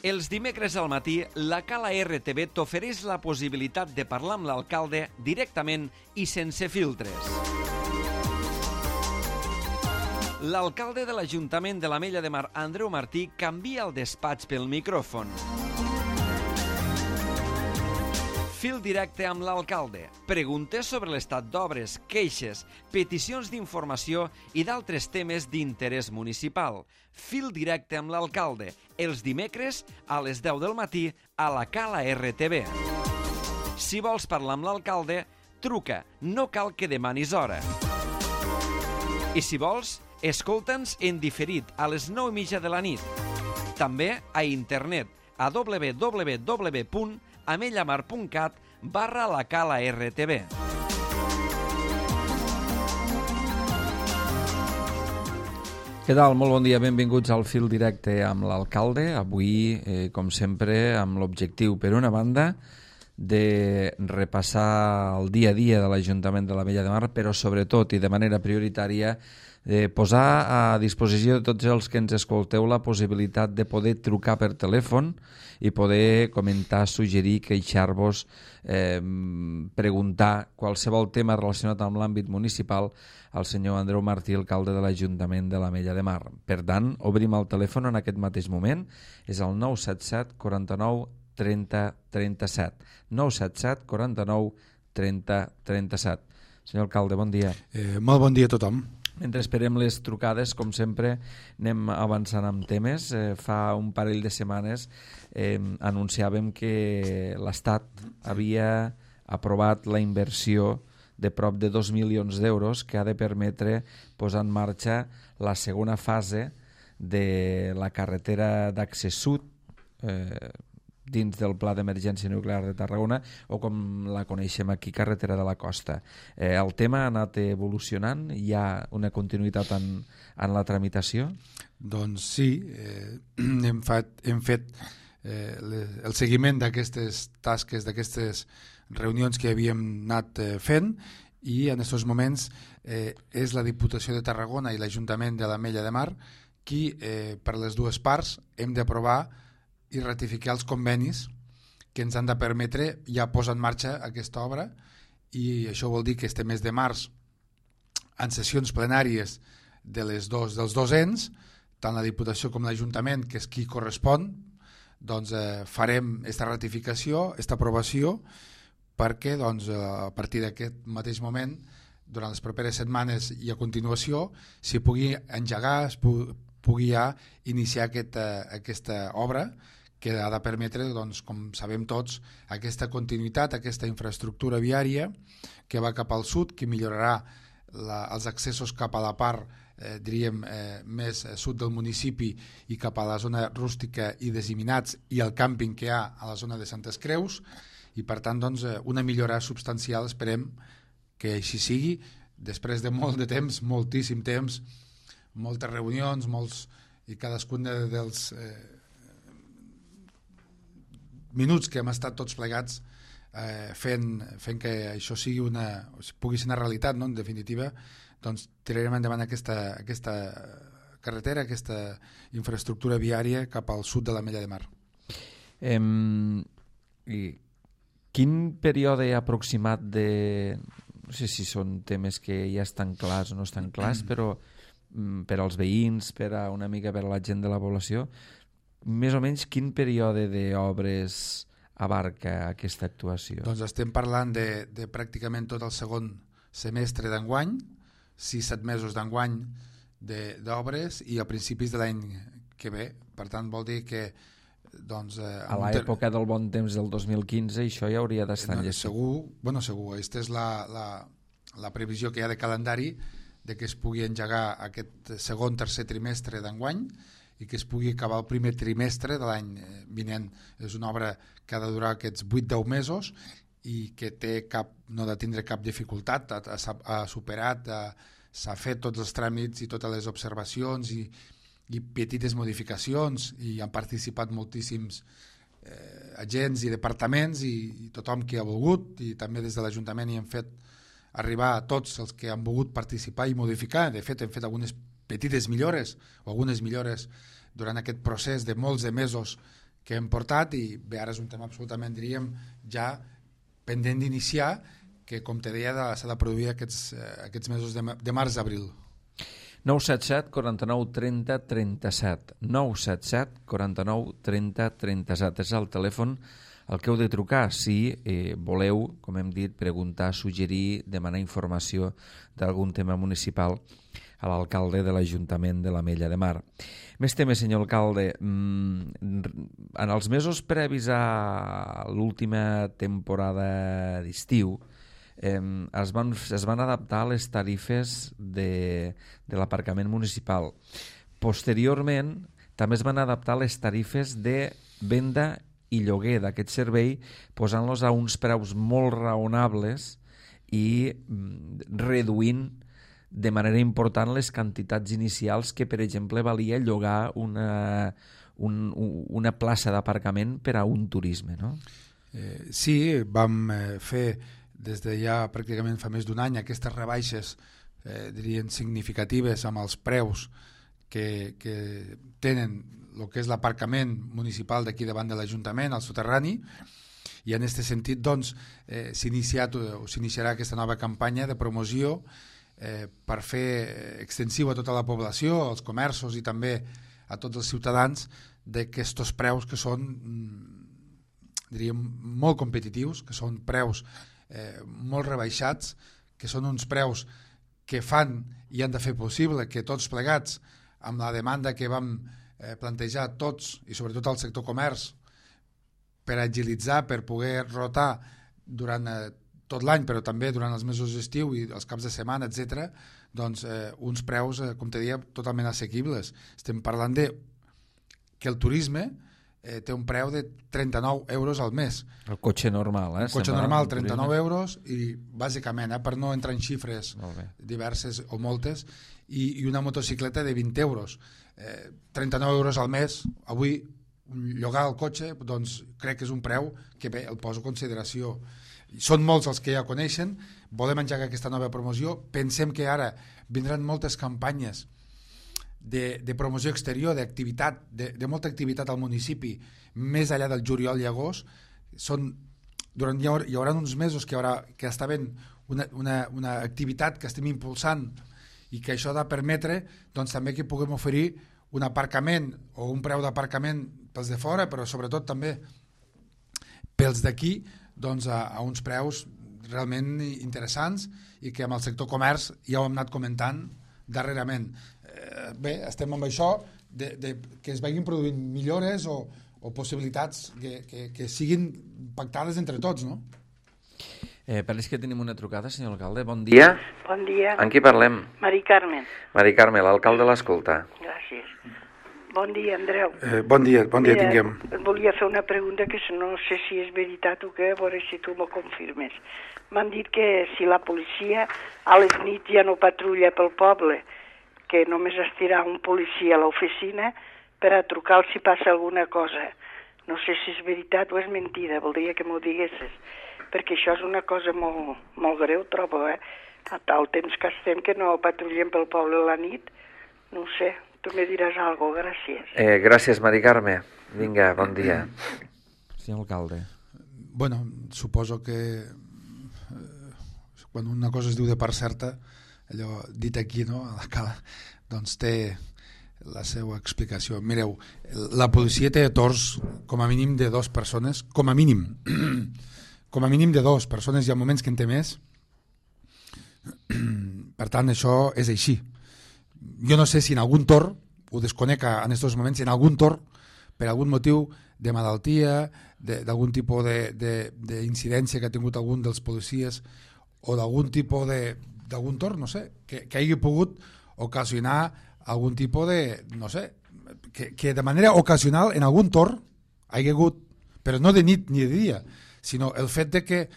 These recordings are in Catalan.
Els dimecres al matí, la Cala RTV t'ofereix la possibilitat de parlar amb l'alcalde directament i sense filtres. L'alcalde de l'Ajuntament de l'Ametlla de Mar, Andreu Martí, canvia el despatx pel micròfon. Fil directe amb l'alcalde. Preguntes sobre l'estat d'obres, queixes, peticions d'informació i d'altres temes d'interès municipal. Fil directe amb l'alcalde. Els dimecres a les 10 del matí a la Cala RTV. Si vols parlar amb l'alcalde, truca. No cal que demanis hora. I si vols, escolta'ns en diferit a les 9:30 de la nit. També a internet a www.amellamar.cat/la Cala RTV. Què tal? Molt bon dia, benvinguts al Fil Directe amb l'alcalde. Avui, com sempre, amb l'objectiu, per una banda, de repassar el dia a dia de l'Ajuntament de l'Ametlla de Mar, però sobretot i de manera prioritària posar a disposició de tots els que ens escolteu la possibilitat de poder trucar per telèfon i poder comentar, suggerir, queixar-vos, preguntar qualsevol tema relacionat amb l'àmbit municipal al senyor Andreu Martí, alcalde de l'Ajuntament de l'Ametlla de Mar. Per tant, obrim el telèfon en aquest mateix moment, és el 977 49 30 37. 977 49 30 37. Senyor alcalde, bon dia. Molt bon dia a tothom. Mentre esperem les trucades, com sempre, anem avançant amb temes. Fa un parell de setmanes anunciàvem que l'Estat havia aprovat la inversió de prop de 2 milions d'euros que ha de permetre posar en marxa la segona fase de la carretera d'accés sud dins del Pla d'Emergència Nuclear de Tarragona, o com la coneixem aquí, carretera de la Costa. El tema ha anat evolucionant? Hi ha una continuïtat en la tramitació? Doncs sí, hem fet el seguiment d'aquestes tasques, d'aquestes reunions que havíem anat fent, i en aquests moments és la Diputació de Tarragona i l'Ajuntament de l'Ametlla de Mar qui, per les dues parts, hem d'aprovar i ratificar els convenis que ens han de permetre ja posar en marxa aquesta obra, i això vol dir que este mes de març, en sessions plenàries dels dos ens, tant la Diputació com l'Ajuntament, que és qui correspon, doncs farem aquesta ratificació, aquesta aprovació, perquè doncs, a partir d'aquest mateix moment, durant les properes setmanes i a continuació, s'hi pugui engegar, es pugui ja iniciar aquesta obra, que ha de permetre, doncs, com sabem tots, aquesta continuïtat, aquesta infraestructura viària que va cap al sud, que millorarà els accessos cap a la part, diríem, més sud del municipi i cap a la zona rústica i Desiminats i el càmping que hi ha a la zona de Santes Creus, i per tant doncs, una millora substancial. Esperem que així sigui, després de molt de temps, moltíssim temps, moltes reunions, i cadascun dels minuts que hem estat tots plegats fent que això pugui ser una realitat, no? En definitiva, doncs tirarem endavant aquesta carretera, aquesta infraestructura viària cap al sud de l'Ametlla de Mar. Quin període aproximat no sé si són temes que ja estan clars o no estan clars, però per als veïns, una mica per a la gent de la població, més o menys quin període d'obres abarca aquesta actuació? Doncs estem parlant de pràcticament tot el segon semestre d'enguany, 6-7 mesos d'enguany d'obres, i a principis de l'any que ve. Per tant, vol dir que doncs, a l'època del bon temps del 2015 això ja hauria d'estar enllestit. Segur. Aquesta és la previsió que hi ha de calendari, de que es pugui engegar aquest tercer trimestre d'enguany i que es pugui acabar el primer trimestre de l'any vinent. És una obra que ha de durar aquests 8-10 mesos i que no ha de tindre cap dificultat, ha superat, s'ha fet tots els tràmits i totes les observacions i petites modificacions, i han participat moltíssims agents i departaments i tothom que ha volgut, i també des de l'Ajuntament hi hem fet arribar a tots els que han volgut participar i modificar. De fet, hem fet algunes petites millores o algunes millores durant aquest procés de molts de mesos hem portat, i bé, ara és un tema absolutament, diríem, ja pendent d'iniciar, que, com te deia, s'ha de produir aquests mesos de març-abril. 977 49 30 37. 977 49 30 37. És el telèfon al que heu de trucar si voleu, com hem dit, preguntar, suggerir, demanar informació d'algun tema municipal a l'alcalde de l'Ajuntament de l'Ametlla de Mar. Més temes, senyor alcalde. En els mesos previs a l'última temporada d'estiu es van adaptar les tarifes de l'aparcament municipal. Posteriorment, també es van adaptar les tarifes de venda i lloguer d'aquest servei, posant-los a uns preus molt raonables i reduint de manera important les quantitats inicials que, per exemple, valia llogar una plaça d'aparcament per a un turisme, no? Sí, vam fer des de ja pràcticament fa més d'un any aquestes rebaixes, dirien, significatives amb els preus que tenen el que és l'aparcament municipal d'aquí davant de l'Ajuntament, al soterrani, i en aquest sentit doncs, s'iniciarà aquesta nova campanya de promoció per fer extensiu a tota la població, als comerços i també a tots els ciutadans, d'aquests preus que són, diríem, molt competitius, que són preus molt rebaixats, que són uns preus que fan i han de fer possible que tots plegats, amb la demanda que vam plantejar tots, i sobretot al sector comerç, per agilitzar, per poder rotar durant tot l'any, però també durant els mesos d'estiu i els caps de setmana, etc., doncs uns preus, com te deia, totalment assequibles. Estem parlant de que el turisme té un preu de 39 euros al mes. El cotxe normal, El cotxe normal, 39 euros, i bàsicament, per no entrar en xifres diverses o moltes, i una motocicleta de 20 euros. 39 euros al mes, avui llogar el cotxe, doncs crec que és un preu que bé, el poso en consideració. Són molts els que ja coneixen, volem engegar aquesta nova promoció, pensem que ara vindran moltes campanyes de promoció exterior, d'activitat, de molta activitat al municipi, més enllà del juliol i agost. Hi haurà uns mesos que està havent una activitat que estem impulsant i que això ha de permetre doncs, també que puguem oferir un aparcament o un preu d'aparcament pels de fora, però sobretot també pels d'aquí, doncs, a uns preus realment interessants i que amb el sector comerç ja ho hem anat comentant darrerament. Bé, estem amb això que es vagin produint millores o possibilitats que siguin pactades entre tots, no? Pareix que tenim una trucada, senyor alcalde. Bon dia. Bon dia. Amb qui parlem? Mari Carmen. Mari Carme, l'alcalde l'escolta. Gràcies. Bon dia, Andreu. Bon dia tinguem. Volia fer una pregunta que no sé si és veritat o què, a veure si tu m'ho confirmes. M'han dit que si la policia a les nits ja no patrulla pel poble, que només estirà un policia a l'oficina per a trucar si passa alguna cosa. No sé si és veritat o és mentida, voldria que m'ho diguessis, perquè això és una cosa molt, molt greu, trobo, a tal temps que estem que no patrullem pel poble a la nit, no ho sé, tu me diràs alguna cosa, gràcies. Gràcies, Mari Carme. Vinga, bon dia. Senyor alcalde. Bueno, suposo que quan una cosa es diu de part certa, allò dit aquí, no, a la cala, doncs té la seva explicació. Mireu, la policia té torns com a mínim de 2 persones, com a mínim de 2 persones, hi ha moments que en té més. Per tant, això és així. Jo no sé si en algun torn, ho desconec en aquests moments, si en algun torn, per algun motiu de malaltia, d'algun tipus d'incidència que ha tingut algun dels policies o d'algun tipus d'algun torn, no sé, que hagi pogut ocasionar algun tipus de, no sé, que de manera ocasional en algun torn hagi hagut, però no de nit ni de dia, sinó el fet de que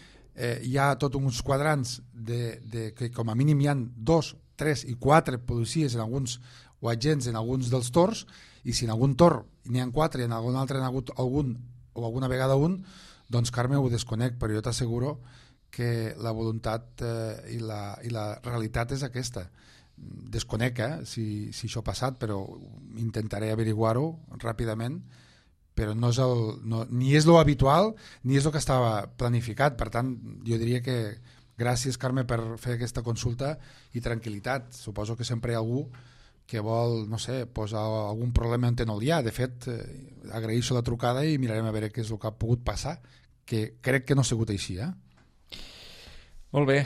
hi ha tots uns quadrants que com a mínim hi ha 2, 3 i 4 policies en alguns, o agents en alguns dels torns, i si en algun torn n'hi ha 4 i en algun altre n'hi ha hagut algun o alguna vegada un, doncs Carme, ho desconec, però jo t'asseguro que la voluntat i la realitat és aquesta. Desconec si això ha passat, però intentaré averiguar-ho ràpidament però no és ni és lo habitual ni és el que estava planificat. Per tant, jo diria que gràcies, Carme, per fer aquesta consulta i tranquil·litat. Suposo que sempre hi ha algú que vol, no sé, posar algun problema on no n'hi ha. De fet, agraeixo la trucada i mirarem a veure què és el que ha pogut passar, que crec que no ha sigut així, Molt bé,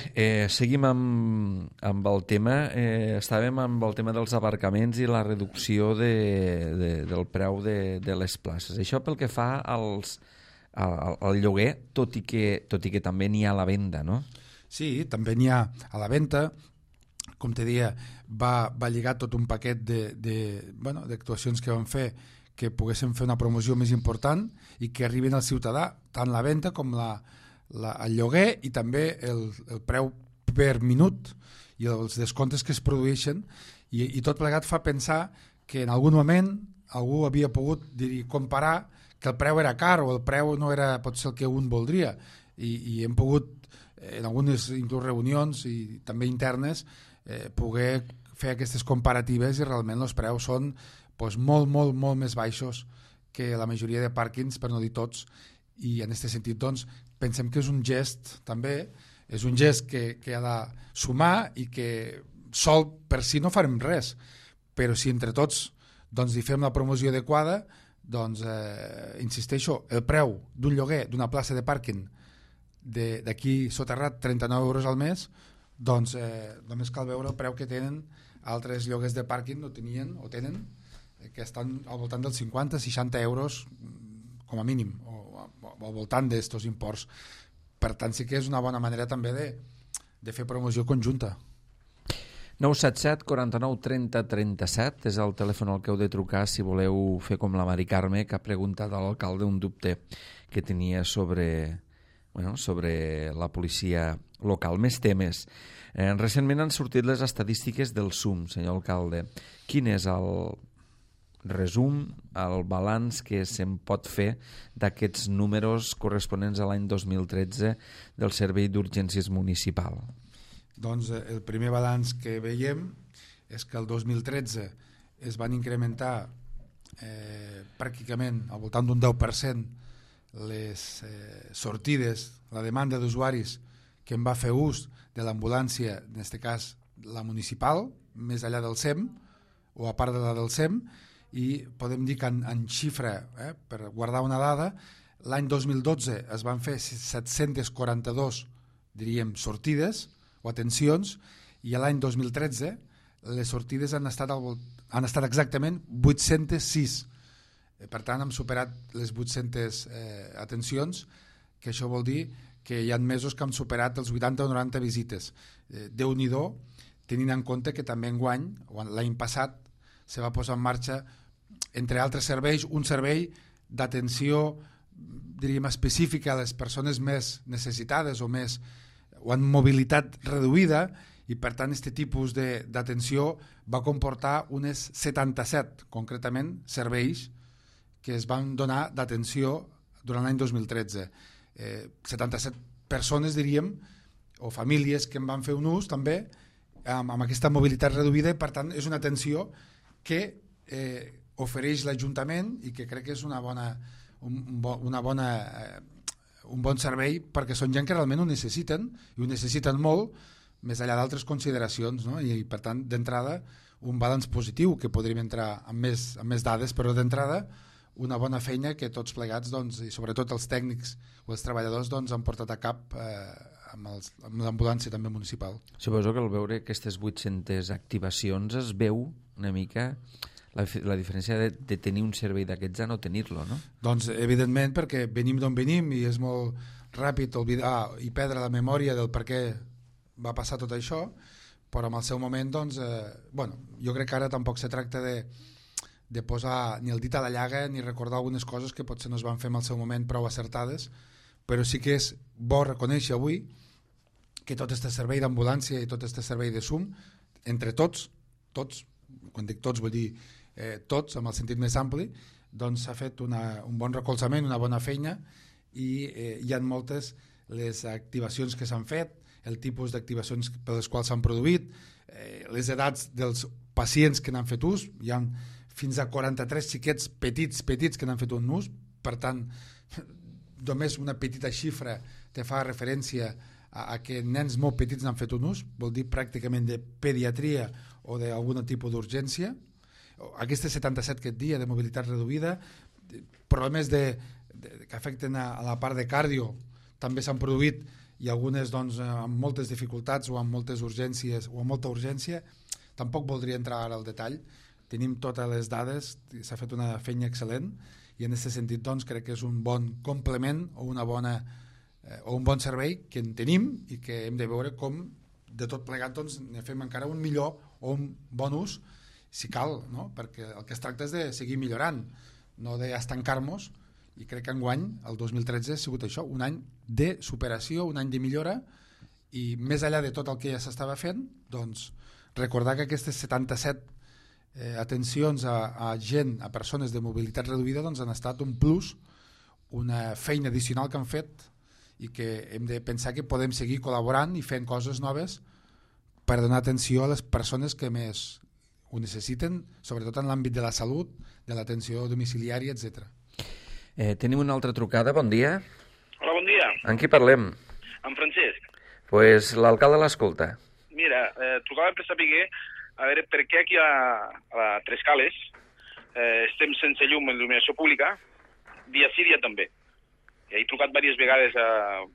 seguim amb el tema. Estàvem amb el tema dels aparcaments i la reducció del preu de les places. Això pel que fa al lloguer, tot i que també n'hi ha a la venda, no? Sí, també n'hi ha a la venda. Com te deia, va lligat tot un paquet d'actuacions que vam fer que poguéssim fer una promoció més important i que arriben al ciutadà, tant la venda com el lloguer i també el preu per minut i els descomptes que es produeixen i tot plegat fa pensar que en algun moment algú havia pogut comparar que el preu era car o el preu no era potser el que un voldria i hem pogut en algunes inclús reunions i també internes poder fer aquestes comparatives i realment els preus són molt, molt, molt més baixos que la majoria de pàrquings, per no dir tots, i en aquest sentit doncs pensem que és un gest també, és un gest que ha de sumar i que sol per si no farem res, però si entre tots doncs hi fem la promoció adequada, doncs insisteixo, el preu d'un lloguer d'una plaça de pàrquing d'aquí soterrat 39 euros al mes, doncs només cal veure el preu que tenen altres lloguers de pàrquing o tenen, que estan al voltant dels 50-60 euros com a mínim, o al voltant d'estos imports. Per tant, sí que és una bona manera també de fer promoció conjunta. 977 49 30 37 és el telèfon al que heu de trucar si voleu fer com la Mari Carme, que ha preguntat a l'alcalde un dubte que tenia sobre la policia local. Més temes. Recentment han sortit les estadístiques del SUM, senyor alcalde. Quin és el resum, el balanç que se'n pot fer d'aquests números corresponents a l'any 2013 del Servei d'Urgències Municipal? Doncs el primer balanç que veiem és que el 2013 es van incrementar pràcticament al voltant d'un 10% les sortides, la demanda d'usuaris que en va fer ús de l'ambulància, en aquest cas la municipal, més enllà del SEM o a part de la del SEM, i podem dir que en xifra, per guardar una dada, l'any 2012 es van fer 742, diríem, sortides o atencions, i l'any 2013 les sortides han estat exactament 806. Per tant, hem superat les 800 atencions, que això vol dir que hi ha mesos que hem superat els 80 o 90 visites. Déu-n'hi-do, tenint en compte que també enguany, l'any passat, se va posar en marxa, entre altres serveis, un servei d'atenció, diríem, específica a les persones més necessitades o amb mobilitat reduïda, i per tant aquest tipus d'atenció va comportar unes 77, concretament, serveis que es van donar d'atenció durant l'any 2013. 77 persones, diríem, o famílies que en van fer un ús també amb aquesta mobilitat reduïda, i per tant és una atenció que ofereix l'Ajuntament i que crec que és un bon servei, perquè són gent que realment ho necessiten, i ho necessiten molt, més enllà d'altres consideracions, no? I per tant, d'entrada, un balanç positiu, que podríem entrar amb més dades, però d'entrada una bona feina que tots plegats, doncs, i sobretot els tècnics o els treballadors, doncs, han portat a cap amb l'ambulància també municipal. Suposo que al veure aquestes 800 activacions es veu una mica la diferència de tenir un servei d'aquests a no tenir-lo, no? Doncs evidentment, perquè venim d'on venim i és molt ràpid oblidar i perdre la memòria del per què va passar tot això, però en el seu moment, doncs, jo crec que ara tampoc se tracta de posar ni el dit a la llaga ni recordar algunes coses que potser no es van fer en el seu moment prou acertades, però sí que és bo reconèixer avui que tot aquest servei d'ambulància i tot aquest servei de SUM, entre tots, quan dic tots vull dir tots, amb el sentit més ampli, doncs s'ha fet un bon recolzament, una bona feina, i hi ha moltes les activacions que s'han fet, el tipus d'activacions per les quals s'han produït, les edats dels pacients que n'han fet ús. Hi ha fins a 43 xiquets petits que n'han fet un nus, per tant, només una petita xifra te fa referència a que nens molt petits n'han fet un ús, vol dir pràcticament de pediatria o d'algun tipus d'urgència. Aquestes 77 aquest dia de mobilitat reduïda, problemes que afecten a la part de cardio també s'han produït, i algunes doncs, amb moltes dificultats o amb moltes urgències o amb molta urgència. Tampoc voldria entrar ara al detall, tenim totes les dades, s'ha fet una feina excel·lent, i en aquest sentit doncs, crec que és un bon complement o un bon servei que en tenim i que hem de veure com de tot plegat doncs, ne fem encara un millor o un bon ús si cal, no? Perquè el que es tracta és de seguir millorant, no d'estancar-nos, i crec que enguany, el 2013, ha sigut això, un any de superació, un any de millora, i més enllà de tot el que ja s'estava fent, doncs recordar que aquestes 77 atencions a gent, a persones de mobilitat reduïda, doncs han estat un plus, una feina addicional que han fet, i que hem de pensar que podem seguir col·laborant i fent coses noves per donar atenció a les persones que més ho necessiten, sobretot en l'àmbit de la salut, de l'atenció domiciliària, etc. Tenim una altra trucada, bon dia. Hola, bon dia. Amb qui parlem? Amb Francesc. Pues l'alcalde l'escolta. Mira, trucava per saber a veure per què aquí a Tres Cales estem sense llum en il·luminació pública, dia sí, dia també. I he trucat diverses vegades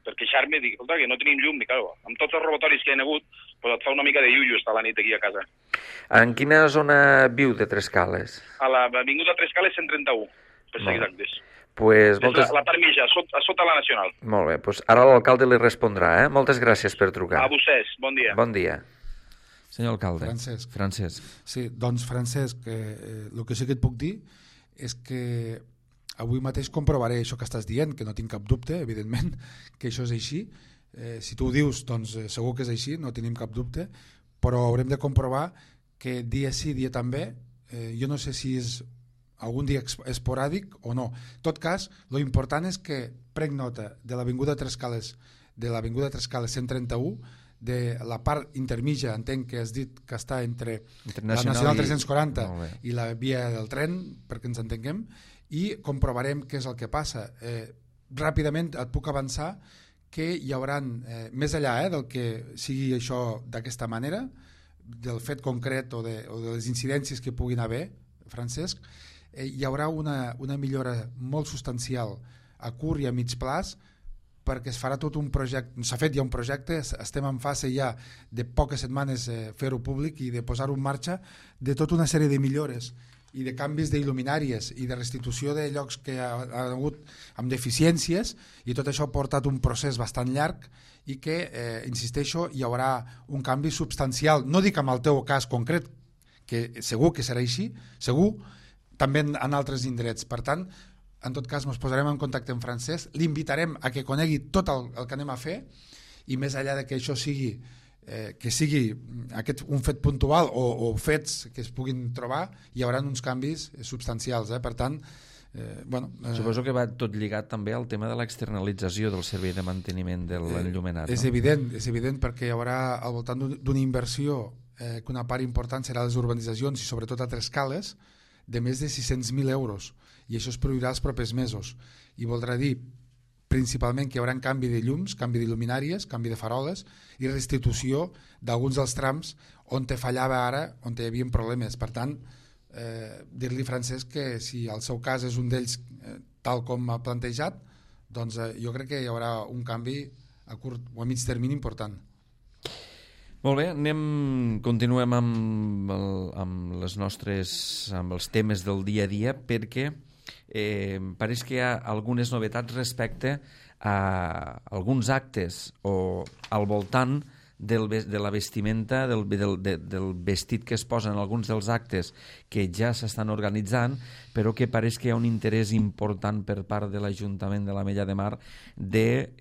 per queixar-me, dic, escolta, que no tenim llum, i claro, amb tots els robatoris que hi ha hagut, pues et fa una mica de iullo estar la nit aquí a casa. En quina zona viu de Tres Cales? A l'avinguda Tres Cales 131, per ser exactes. Pues és la part mitja, a sota la Nacional. Molt bé, pues ara l'alcalde li respondrà, eh? Moltes gràcies per trucar. A vostès, bon dia. Bon dia. Senyor alcalde. Francesc. Sí, doncs Francesc, el que sí que et puc dir és que avui mateix comprovaré això que estàs dient, que no tinc cap dubte, evidentment, que això és així. Si tu ho dius, doncs segur que és així, no tenim cap dubte, però haurem de comprovar que dia sí, dia també, jo no sé si és algun dia esporàdic o no. En tot cas, lo important és que prenc nota de l'avinguda Tres Cales, 131, de la part intermitja, entenc que has dit que està entre la Nacional 340 i la via del tren, perquè ens entenguem, i comprovarem què és el que passa. Ràpidament et puc avançar que hi haurà, més enllà del que sigui això d'aquesta manera, del fet concret o de les incidències que puguin haver, Francesc, hi haurà una millora molt substancial a curt i a mig plaç, perquè es farà tot un projecte, s'ha fet ja un projecte, estem en fase ja de poques setmanes fer-ho públic i de posar-ho en marxa, de tota una sèrie de millores i de canvis d'il·luminàries i de restitució de llocs que ha hagut amb deficiències, i tot això ha portat un procés bastant llarg i que, insisteixo, hi haurà un canvi substancial, no dic en el teu cas concret, que segur que serà així, segur, també en altres indrets. Per tant, en tot cas ens posarem en contacte amb Francesc, l'invitarem a que conegui tot el que anem a fer, i més enllà de que això sigui un fet puntual o fets que es puguin trobar, hi haurà uns canvis substancials. Per tant, suposo que va tot lligat també al tema de l'externalització del servei de manteniment de l'enllumenat. És evident, perquè hi haurà al voltant d'una inversió, que una part important serà les urbanitzacions i sobretot a Tres Cales, de més de 600.000 euros, i això es produirà els propers mesos, i voldrà dir principalment que hi haurà canvi de llums, canvi d'il·luminàries, canvi de faroles i restitució d'alguns dels trams on te fallava ara, on hi havia problemes. Per tant, dir-li, Francesc, que si el seu cas és un d'ells tal com ha plantejat, doncs jo crec que hi haurà un canvi a curt o a mig termini important. Molt bé, continuem amb els temes del dia a dia, perquè pareix que hi ha algunes novetats respecte a alguns actes o al voltant de la vestimenta, del vestit que es posa en alguns dels actes que ja s'estan organitzant, però que pareix que hi ha un interès important per part de l'Ajuntament de l'Ametlla de Mar de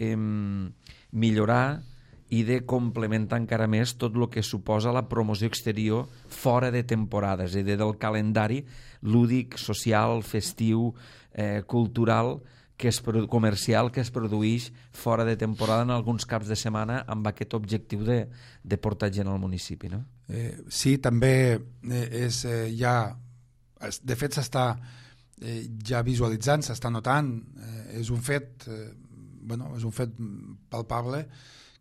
millorar i de complementar encara més tot el que suposa la promoció exterior fora de temporades, és a dir, del calendari lúdic, social, festiu, cultural, comercial que es produeix fora de temporada en alguns caps de setmana amb aquest objectiu de portar gent al municipi, no? Sí, també hi ha de fet s'està ja visualitzant, s'està notant, és un fet és un fet palpable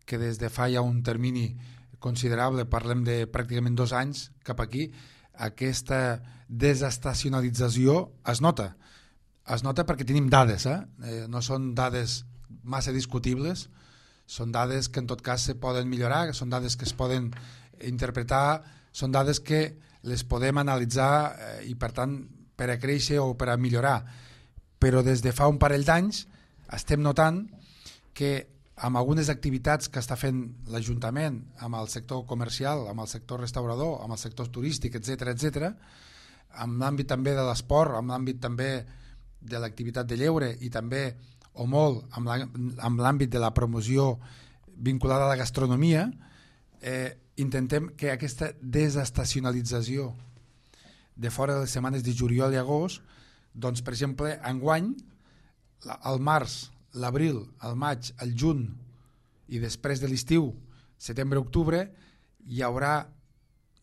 que des de fa ja un termini considerable, parlem de pràcticament 2 anys cap aquí, aquesta desestacionalització es nota perquè tenim dades, no són dades massa discutibles, són dades que en tot cas se poden millorar, són dades que es poden interpretar, són dades que les podem analitzar i per tant per a créixer o per a millorar, però des de fa un parell d'anys estem notant que amb algunes activitats que està fent l'Ajuntament amb el sector comercial, amb el sector restaurador, amb el sector turístic, etc., amb l'àmbit també de l'esport, amb l'àmbit també de l'activitat de lleure i també o molt amb l'àmbit de la promoció vinculada a la gastronomia, intentem que aquesta desestacionalització de fora de les setmanes de juliol i agost, doncs per exemple enguany al març, l'abril, el maig, el juny i després de l'estiu, setembre-octubre, hi haurà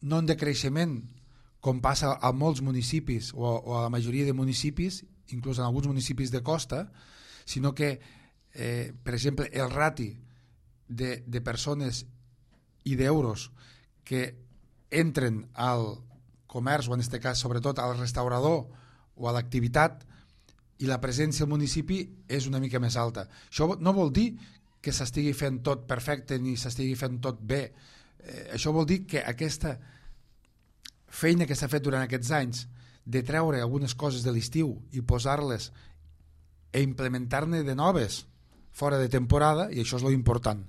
no un decreixement com passa a molts municipis o a la majoria de municipis, inclús en alguns municipis de costa, sinó que, per exemple, el rati de persones i d'euros que entren al comerç, o en aquest cas sobretot al restaurador o a l'activitat, i la presència al municipi és una mica més alta. Això no vol dir que s'estigui fent tot perfecte ni s'estigui fent tot bé. Això vol dir que aquesta feina que s'ha fet durant aquests anys de treure algunes coses de l'estiu i posar-les i implementar-ne de noves fora de temporada, i això és lo important,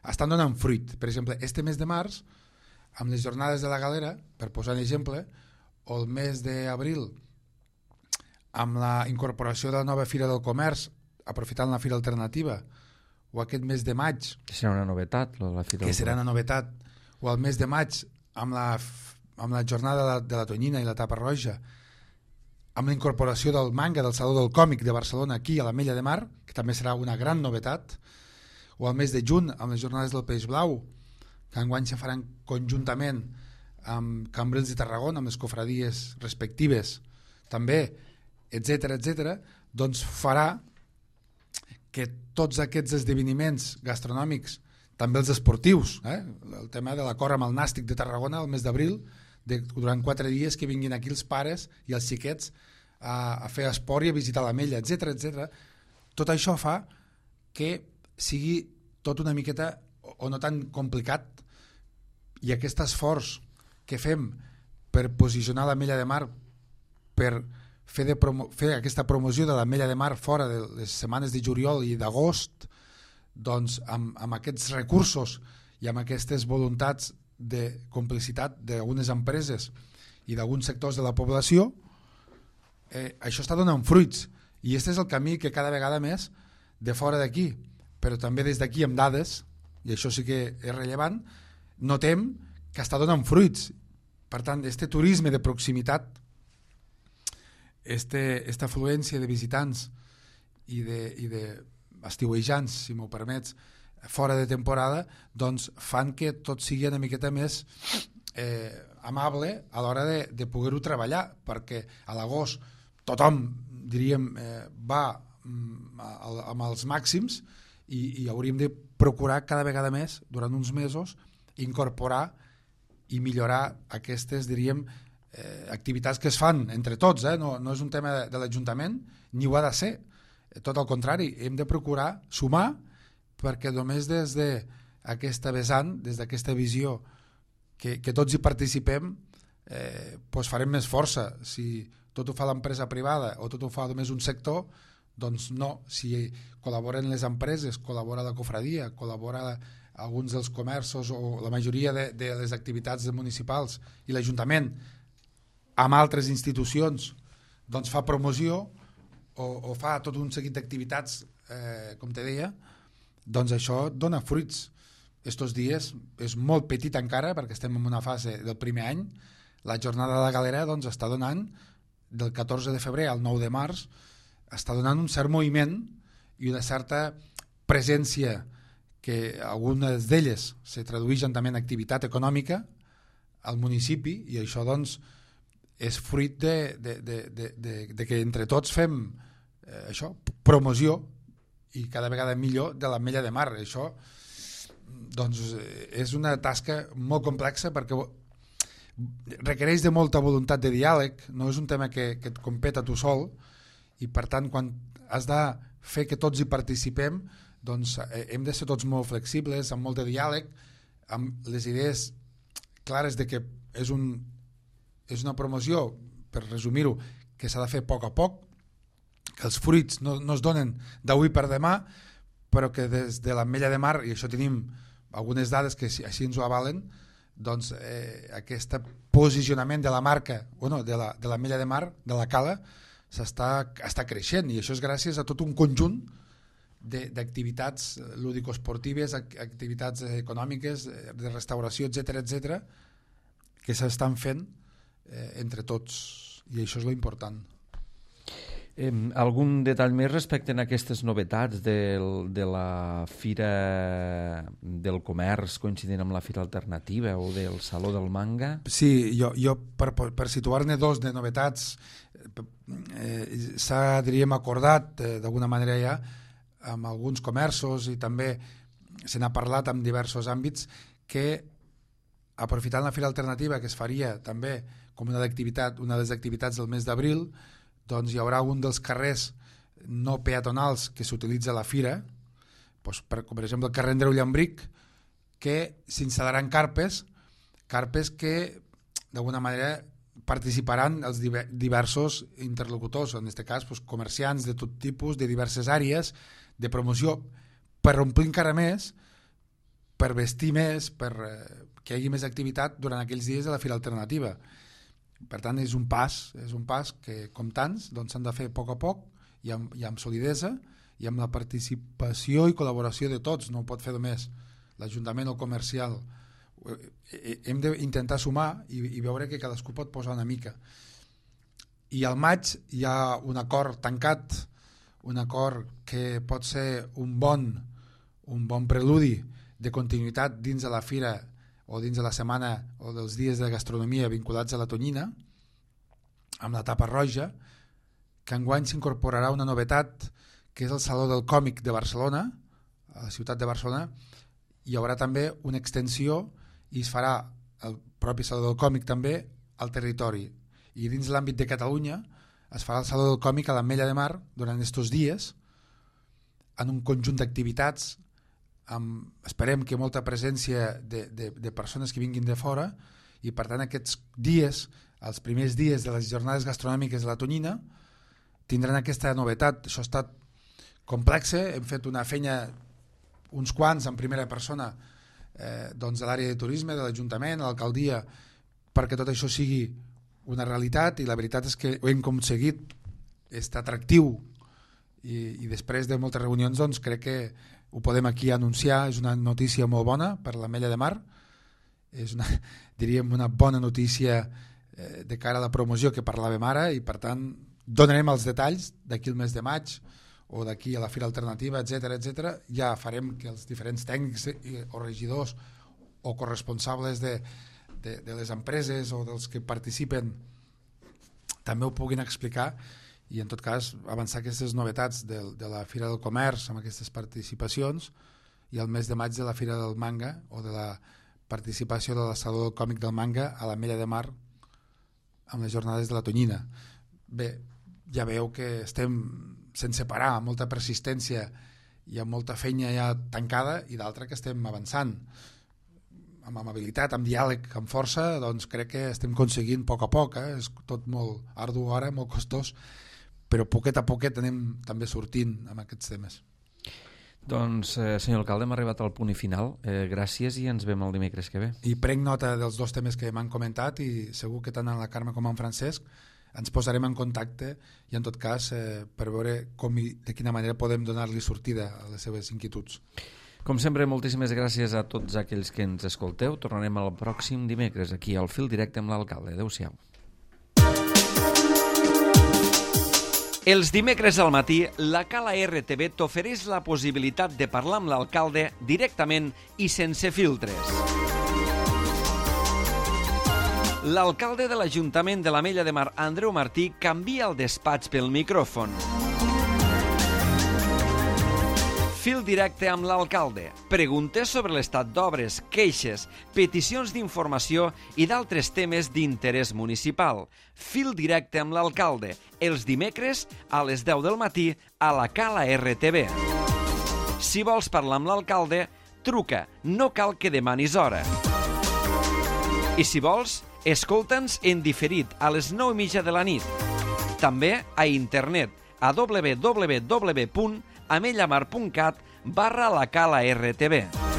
estan donant fruit. Per exemple, este mes de març, amb les jornades de la Galera, per posar un exemple, o el mes d'abril, amb la incorporació de la nova Fira del Comerç, aprofitant la Fira Alternativa, o aquest mes de maig, que serà una novetat, la Fira que serà una novetat, o el mes de maig, amb la jornada de la Tonyina i la Tapa Roja, amb la incorporació del manga del Saló del Còmic de Barcelona aquí a l'Ametlla de Mar, que també serà una gran novetat, o el mes de juny, amb les jornades del Peix Blau, que enguany se faran conjuntament amb Cambrils de Tarragona, amb les cofradies respectives, també, etc., doncs farà que tots aquests esdeveniments gastronòmics, també els esportius, el tema de l'acord amb el Nàstic de Tarragona el mes d'abril, durant 4 dies que vinguin aquí els pares i els xiquets a fer esport i a visitar l'Ametlla, etc. Tot això fa que sigui tot una miqueta o no tan complicat, i aquest esforç que fem per posicionar l'Ametlla de Mar, per fer aquesta promoció de l'Ametlla de Mar fora de les setmanes de juliol i d'agost, doncs amb aquests recursos i amb aquestes voluntats de complicitat d'algunes empreses i d'alguns sectors de la població, això està donant fruits, i aquest és el camí que cada vegada més de fora d'aquí, però també des d'aquí amb dades, i això sí que és rellevant, notem que està donant fruits. Per tant, este turisme de proximitat, esta afluència de visitants i d'estiuejants, si m'ho permets, fora de temporada, doncs fan que tot sigui una miqueta més amable a l'hora de poder-ho treballar, perquè a l'agost tothom, diríem, va amb els màxims i hauríem de procurar cada vegada més, durant uns mesos, incorporar i millorar aquestes, diríem, activitats que es fan entre tots, no és un tema de l'Ajuntament, ni ho ha de ser, tot al contrari, hem de procurar sumar, perquè només des d'aquesta vessant, des d'aquesta visió que tots hi participem, doncs farem més força. Si tot ho fa l'empresa privada o tot ho fa només un sector, doncs no. Si col·laboren les empreses, col·labora la cofradia, col·labora alguns dels comerços o la majoria de les activitats municipals i l'Ajuntament amb altres institucions, doncs fa promoció o fa tot un seguit d'activitats, com te deia, doncs això dona fruits. Estos dies és molt petit encara, perquè estem en una fase del primer any. La jornada de la Galera doncs, està donant, del 14 de febrer al 9 de març, està donant un cert moviment i una certa presència, que algunes d'elles se tradueixen també en activitat econòmica al municipi, i això doncs és fruit de que entre tots fem això, promoció i cada vegada millor de l'Ametlla de Mar. Això doncs, és una tasca molt complexa perquè requereix de molta voluntat de diàleg, no és un tema que et competa tu sol, i per tant quan has de fer que tots hi participem, doncs hem de ser tots molt flexibles, amb molt de diàleg, amb les idees clares de que és una promoció, per resumir-ho, que s'ha de fer a poc, que els fruits no es donen d'avui per demà, però que des de l'Ametlla de Mar, i això tenim algunes dades que així ens ho avalen, doncs aquest posicionament de la marca, de l'Ametlla de Mar, de la cala, està creixent, i això és gràcies a tot un conjunt d'activitats lúdico-esportives, activitats econòmiques, de restauració, etc, que s'estan fent entre tots, i això és lo important. Algun detall més respecte a aquestes novetats de la Fira del Comerç coincidint amb la Fira Alternativa o del Saló del Manga? Sí, jo per situar-ne dos de novetats s'ha, diríem, acordat d'alguna manera ja amb alguns comerços, i també se n'ha parlat en diversos àmbits, que aprofitant la Fira Alternativa, que es faria també com una de les activitats del mes d'abril, doncs hi haurà un dels carrers no peatonals que s'utilitza a la fira, doncs com per exemple el carrer Andreu Llambric, que s'instal·laran carpes que d'alguna manera participaran els diversos interlocutors, en aquest cas doncs, comerciants de tot tipus, de diverses àrees de promoció, per omplir encara més, per vestir més, per que hi hagi més activitat durant aquells dies de la Fira Alternativa. Per tant, és un pas que, com tants, doncs, s'han de fer a poc i amb solidesa i amb la participació i col·laboració de tots. No ho pot fer només l'Ajuntament o el comercial. Hem d'intentar sumar i veure que cadascú pot posar una mica. I al maig hi ha un acord tancat, un acord que pot ser un bon preludi de continuïtat dins de la fira o dins de la setmana o dels dies de gastronomia vinculats a la tonyina, amb la tapa roja, que enguany s'incorporarà una novetat, que és el Saló del Còmic de Barcelona, a la ciutat de Barcelona. Hi haurà també una extensió i es farà el propi Saló del Còmic també al territori. I dins l'àmbit de Catalunya es farà el Saló del Còmic a l'Ametlla de Mar durant aquests dies, en un conjunt d'activitats, esperem que molta presència de persones que vinguin de fora, i per tant aquests dies, els primers dies de les jornades gastronòmiques de la tonyina, tindran aquesta novetat. Això ha estat complex, hem fet una feina uns quants en primera persona doncs de l'àrea de turisme, de l'Ajuntament, de l'alcaldia, perquè tot això sigui una realitat, i la veritat és que ho hem aconseguit, és atractiu, i després de moltes reunions doncs crec que ho podem aquí anunciar. És una notícia molt bona per l'Ametlla de Mar, és diríem una bona notícia de cara a la promoció que parlàvem ara, i per tant donarem els detalls d'aquí el mes de maig o d'aquí a la Fira Alternativa, etc. Ja farem que els diferents tècnics o regidors o corresponsables de les empreses o dels que participen també ho puguin explicar, i en tot cas avançar aquestes novetats de la Fira del Comerç amb aquestes participacions, i el mes de maig de la Fira del Manga o de la participació de la Saló del Còmic del Manga a l'Ametlla de Mar amb les jornades de la tonyina. Bé, ja veieu que estem sense parar, amb molta persistència i amb molta feina ja tancada, i d'altra que estem avançant amb amabilitat, amb diàleg, amb força. Doncs crec que estem aconseguint a poc, és tot molt ardu ara, molt costós, però poquet a poquet anem també sortint amb aquests temes. Doncs, senyor alcalde, hem arribat al punt i final. Gràcies, i ens veiem el dimecres que ve. I prenc nota dels dos temes que m'han comentat, i segur que tant en la Carme com en Francesc ens posarem en contacte, i en tot cas per veure com i de quina manera podem donar-li sortida a les seves inquietuds. Com sempre, moltíssimes gràcies a tots aquells que ens escolteu. Tornarem el pròxim dimecres aquí al Fil Directe amb l'alcalde. Adéu-siau. Els dimecres al matí, la Cala RTV t'ofereix la possibilitat de parlar amb l'alcalde directament i sense filtres. L'alcalde de l'Ajuntament de l'Ametlla de Mar, Andreu Martí, canvia el despatx pel micròfon. Fil directe amb l'alcalde. Preguntes sobre l'estat d'obres, queixes, peticions d'informació i d'altres temes d'interès municipal. Fil directe amb l'alcalde. Els dimecres a les 10 del matí a la Cala RTV. Si vols parlar amb l'alcalde, truca. No cal que demanis hora. I si vols, escolta'ns en diferit a les 9:30 de la nit. També a internet a www.amellamar.cat/la Cala RTV.